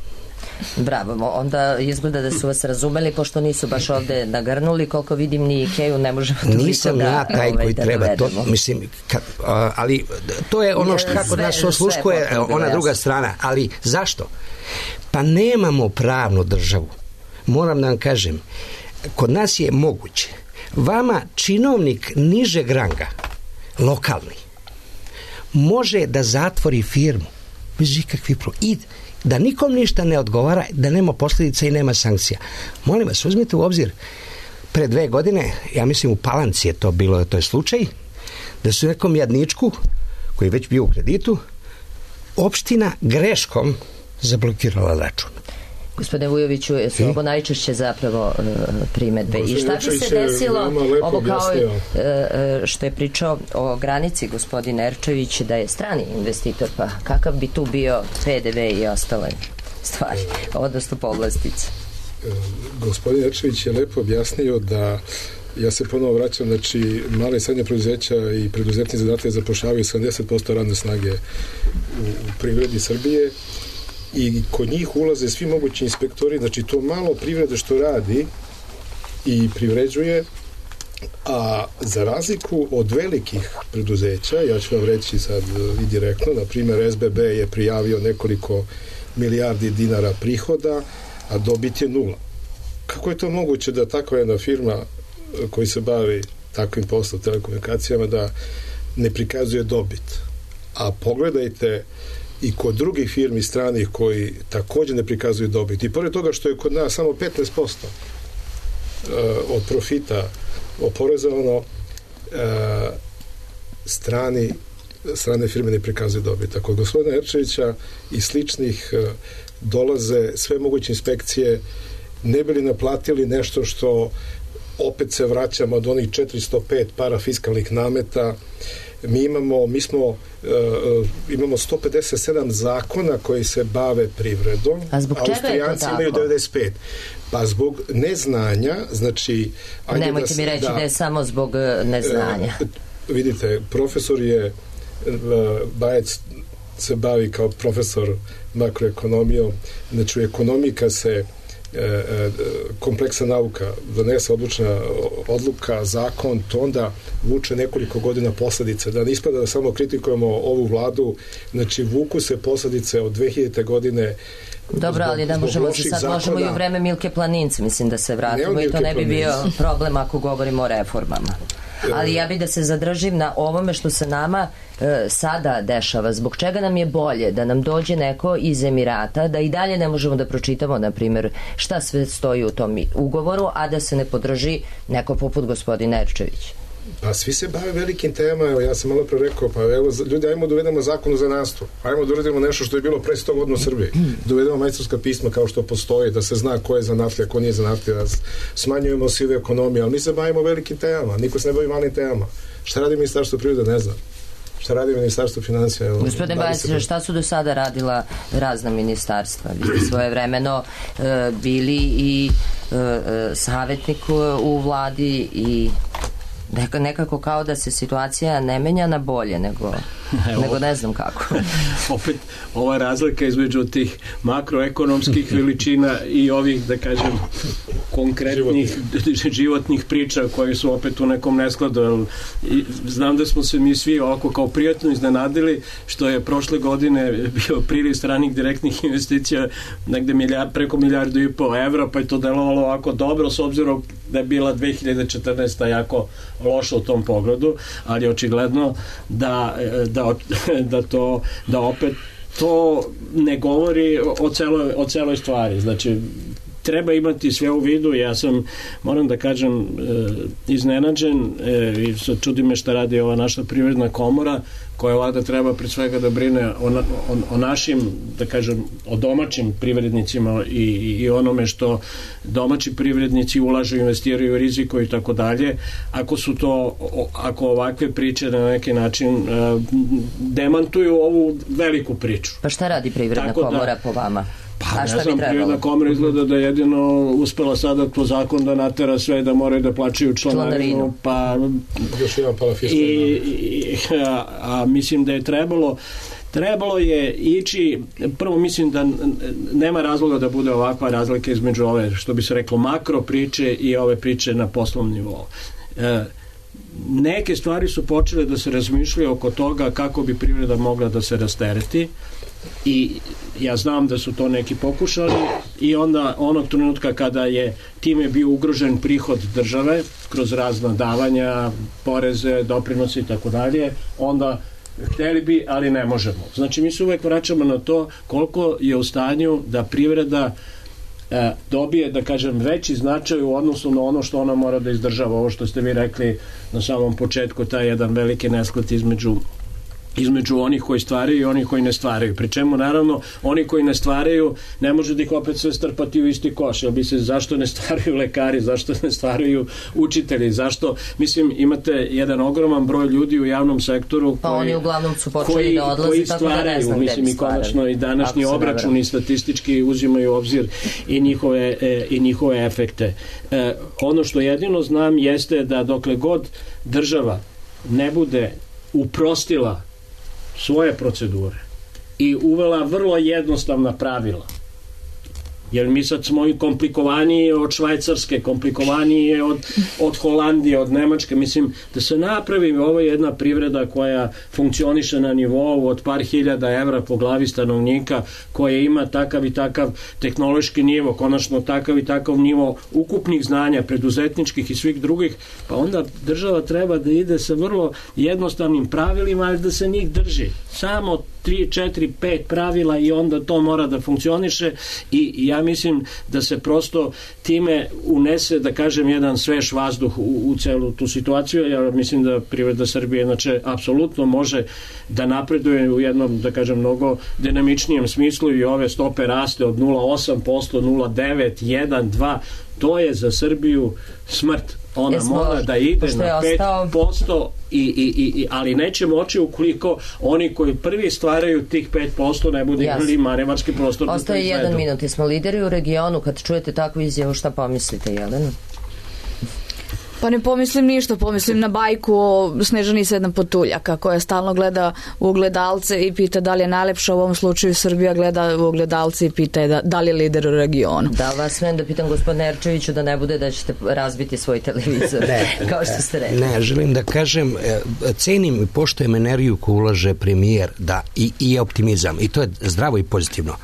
Bravo, onda izgleda da su vas razumeli, pošto nisu baš ovde nagrnuli, koliko vidim ni Ikeju ne možemo toliko nisam da ja taj ovaj, koji da treba dovedemo. to, mislim, ka, a, ali to je ono što kako sve, nas osluškuje ona druga jasno. strana, ali zašto? Pa nemamo pravnu državu. Moram da vam kažem, kod nas je moguće, vama činovnik nižeg ranga, lokalni, može da zatvori firmu bez ikakvih problema i da nikom ništa ne odgovara, da nema posljedica i nema sankcija. Molim vas, uzmite u obzir, pre dve godine, ja mislim u Palanci je to bilo, to je slučaj, da su nekom jadničku, koji je već bio u kreditu, opština greškom zablokirala račun. Gospodine Vujoviću, su ovo najčešće zapravo uh, primetbe. I šta bi se desilo, ovo kao uh, što je pričao o granici gospodin Erčević, da je strani investitor, pa kakav bi tu bio P D V i ostale stvari, odnosno povlastice? Gospodin Erčević je lepo objasnio da ja se ponovo vraćam, znači male i srednje preduzeća i preduzetni zadatak zapošljavaju sedamdeset posto radne snage u, u privredi Srbije i kod njih ulaze svi mogući inspektori, znači to malo privrede što radi i privređuje, a za razliku od velikih preduzeća, ja ću vam reći sad i direktno, na primjer S B B je prijavio nekoliko milijardi dinara prihoda, a dobit je nula. Kako je to moguće da takva jedna firma koji se bavi takvim poslom telekomunikacijama da ne prikazuje dobit? A pogledajte i kod drugih firmi stranih koji također ne prikazuju dobit. I pored toga što je kod nas samo petnaest posto od profita oporezovano, strani strane firme ne prikazuju dobit. Kod gospodina Erčevića i sličnih dolaze sve moguće inspekcije, ne bi li naplatili nešto što opet se vraćamo od onih četiristo pet parafiskalnih nameta. Mi imamo, mi smo, uh, imamo sto pedeset sedam zakona koji se bave privredom. A zbog čega je to tako? Imaju devedeset pet. Pa zbog neznanja, znači... Nemojte da, mi reći da, da je samo zbog neznanja. Uh, vidite, profesor je, uh, Bajec se bavi kao profesor makroekonomijom, znači u ekonomiji kad se kompleksa nauka donese odlučna odluka, zakon, to onda vuče nekoliko godina posledice. Da ne ispada da samo kritikujemo ovu vladu, znači vuku se posledice od dve hiljadite godine. Dobro, ali da možemo se sad zakona, možemo i u vreme Milke Planince, mislim da se vratimo i to ne bi bio problem ako govorimo o reformama. Ali ja bih da se zadržim na ovome što se nama e, sada dešava. Zbog čega nam je bolje da nam dođe neko iz Emirata, da i dalje ne možemo da pročitamo, na primjer, šta sve stoji u tom ugovoru, a da se ne podrži neko poput gospodina Erčevića? Pa svi se bave velikim temama, evo ja sam malo pre rekao, pa evo ljudi, ajmo da uvedemo zakon o zanatstvu, ajmo da uvedemo nešto što je bilo pre sto godina u Srbiji, da uvedemo majstorska pisma kao što postoji, da se zna ko je zanatlija, ko nije zanatlija, da smanjujemo sive ekonomije, ali mi se bavimo velikim temama, niko se ne bavi malim temama. Šta radi Ministarstvo privrede, ne znam. Šta radi Ministarstvo financija? Gospodine Bajec, šta su do sada radila razna ministarstva? Vi ste svoje vremeno e, bili i e, savjetnik u vladi i Neka, nekako kao da se situacija ne menja na bolje, nego, nego ne znam kako. Opet, ova razlika između tih makroekonomskih veličina i ovih, da kažem, konkretnih životnih, životnih priča koji su opet u nekom neskladu. I znam da smo se mi svi ovako kao prijatno iznenadili što je prošle godine bio priliv stranih direktnih investicija negde milijard, preko milijardu i pol evra, pa je to delovalo ovako dobro s obzirom da je bila dve hiljade četrnaesta. jako loša u tom pogledu, ali očigledno da, da, da to da opet to ne govori o celoj, o celoj stvari. Znači, treba imati sve u vidu. Ja sam, moram da kažem, iznenađen i sad čudi me šta radi ova naša privredna komora, koja vlada treba pred svega da brine o, o, o našim, da kažem, o domaćim privrednicima i, i onome što domaći privrednici ulažu, investiraju, riziko i tako dalje. Ako su to, ako ovakve priče na neki način uh, demantuju ovu veliku priču. Pa šta radi privredna tako komora da, po vama? Pa ne znam, privredna komora izgleda da jedino uspela sada po zakon da natera sve da moraju da plaćaju članarinu, pa još jedan parafiskalni i, a, a mislim da je trebalo trebalo je ići, prvo mislim da nema razloga da bude ovakva razlika između ove, što bi se reklo, makro priče i ove priče na poslovnom nivou. E, neke stvari su počele da se razmišljaju oko toga kako bi privreda mogla da se rastereti i ja znam da su to neki pokušali i onda onog trenutka kada je time bio ugrožen prihod države kroz razna davanja, poreze, doprinose i tako dalje, onda hteli bi, ali ne možemo. Znači mi se uvek vraćamo na to koliko je u stanju da privreda e, dobije, da kažem, veći značaj u odnosu na ono što ona mora da izdržava. Ovo što ste vi rekli na samom početku, taj jedan veliki nesklad između između onih koji stvaraju i onih koji ne stvaraju. Pri čemu, naravno, oni koji ne stvaraju ne može da ih opet sve strpati u isti koš. Jel bi se, zašto ne stvaraju lekari, zašto ne stvaraju učitelji, zašto, mislim, imate jedan ogroman broj ljudi u javnom sektoru koji, pa oni uglavnom su počeli koji, da odlaze, koji tako da ne znam gde mislim, bi i konačno i današnji obračuni i statistički uzimaju u obzir i njihove, e, i njihove efekte. E, ono što jedino znam jeste da dokle god država ne bude uprostila svoje procedure i uvela vrlo jednostavna pravila, jer mi sad smo i komplikovaniji od Švajcarske, komplikovaniji od, od Holandije, od Nemačke. Mislim da se napravi ovo jedna privreda koja funkcioniše na nivou od par hiljada evra po glavi stanovnika, koja ima takav i takav tehnološki nivo, konačno takav i takav nivo ukupnih znanja, preduzetničkih i svih drugih, pa onda država treba da ide sa vrlo jednostavnim pravilima, ali da se njih drži. Samo tri, četiri, pet pravila i onda to mora da funkcioniše i ja mislim da se prosto time unese, da kažem, jedan svež vazduh u, u celu tu situaciju. Ja mislim da privreda Srbije znači apsolutno može da napreduje u jednom, da kažem, mnogo dinamičnijem smislu i ove stope raste od nula zarez osam posto, nula zarez devet, jedan, dva, to je za Srbiju smrt. Ona Jesmo, mora da ide na pet posto i, i, i, ali neće moći ukoliko oni koji prvi stvaraju tih pet posto ne budu imali manevarski prostor. Ostaje jedan minut, smo lideri u regionu, kad čujete takvu izjavu, šta pomislite, Jelena? Pa ne pomislim ništa, pomislim na bajku o Snežani Sedam Potuljaka koja stalno gleda u ogledalce i pita da li je najlepša, u ovom slučaju Srbija gleda u ogledalce i pita da, da li je lider u regionu. Da, vas smem da pitam gospodine Erčeviću da ne bude da ćete razbiti svoj televizor, ne, kao što ste rekli. Ne, želim da kažem, cenim i poštujem energiju koju ulaže premijer da, i, i optimizam i to je zdravo i pozitivno.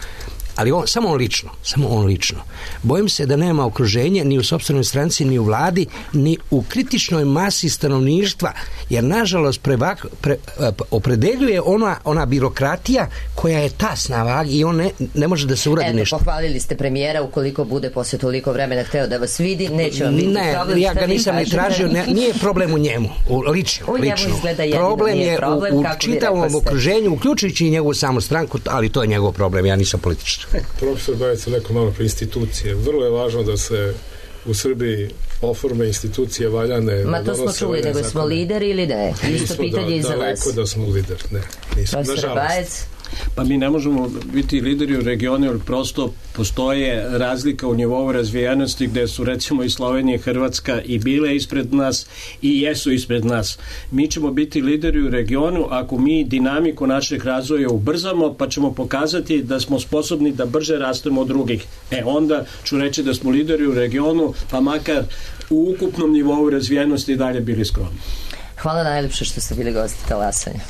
Ali on, samo on lično, samo on lično. Bojim se da nema okruženja ni u sopstvenoj stranci, ni u vladi, ni u kritičnoj masi stanovništva, jer nažalost prevak, pre, opredeljuje ona, ona birokratija koja je tasna vag i on ne, ne može da se uradi Eto, nešto. Eto, pohvalili ste premijera, ukoliko bude posle toliko vremena hteo da vas vidi, neće vam biti ne, problem. Ja ga nisam ni tražio, ne, nije problem u njemu, u, lično. U njemu lično. izgleda jedino, problem je problem, u, u čitavom okruženju, uključujući i njegovu samu stranku, ali to je njegov problem, ja nisam političar. Profesor Bajec je rekao malo pre institucije. Vrlo je važno da se u Srbiji oforme institucije valjane. Ma to smo čuli, nego smo lideri ili ne? Isto pitanje i za vas. Daleko da smo lider, ne. Nismo, profesor Bajec? Pa mi ne možemo biti lideri u regionu, jer prosto postoje razlika u nivou razvijenosti gde su recimo i Slovenija i Hrvatska i bile ispred nas i jesu ispred nas. Mi ćemo biti lideri u regionu ako mi dinamiku našeg razvoja ubrzamo, pa ćemo pokazati da smo sposobni da brže rastemo od drugih. E onda ću reći da smo lideri u regionu, pa makar u ukupnom nivou razvijenosti i dalje bili skromni. Hvala najlepše što ste bili gosti talasanja.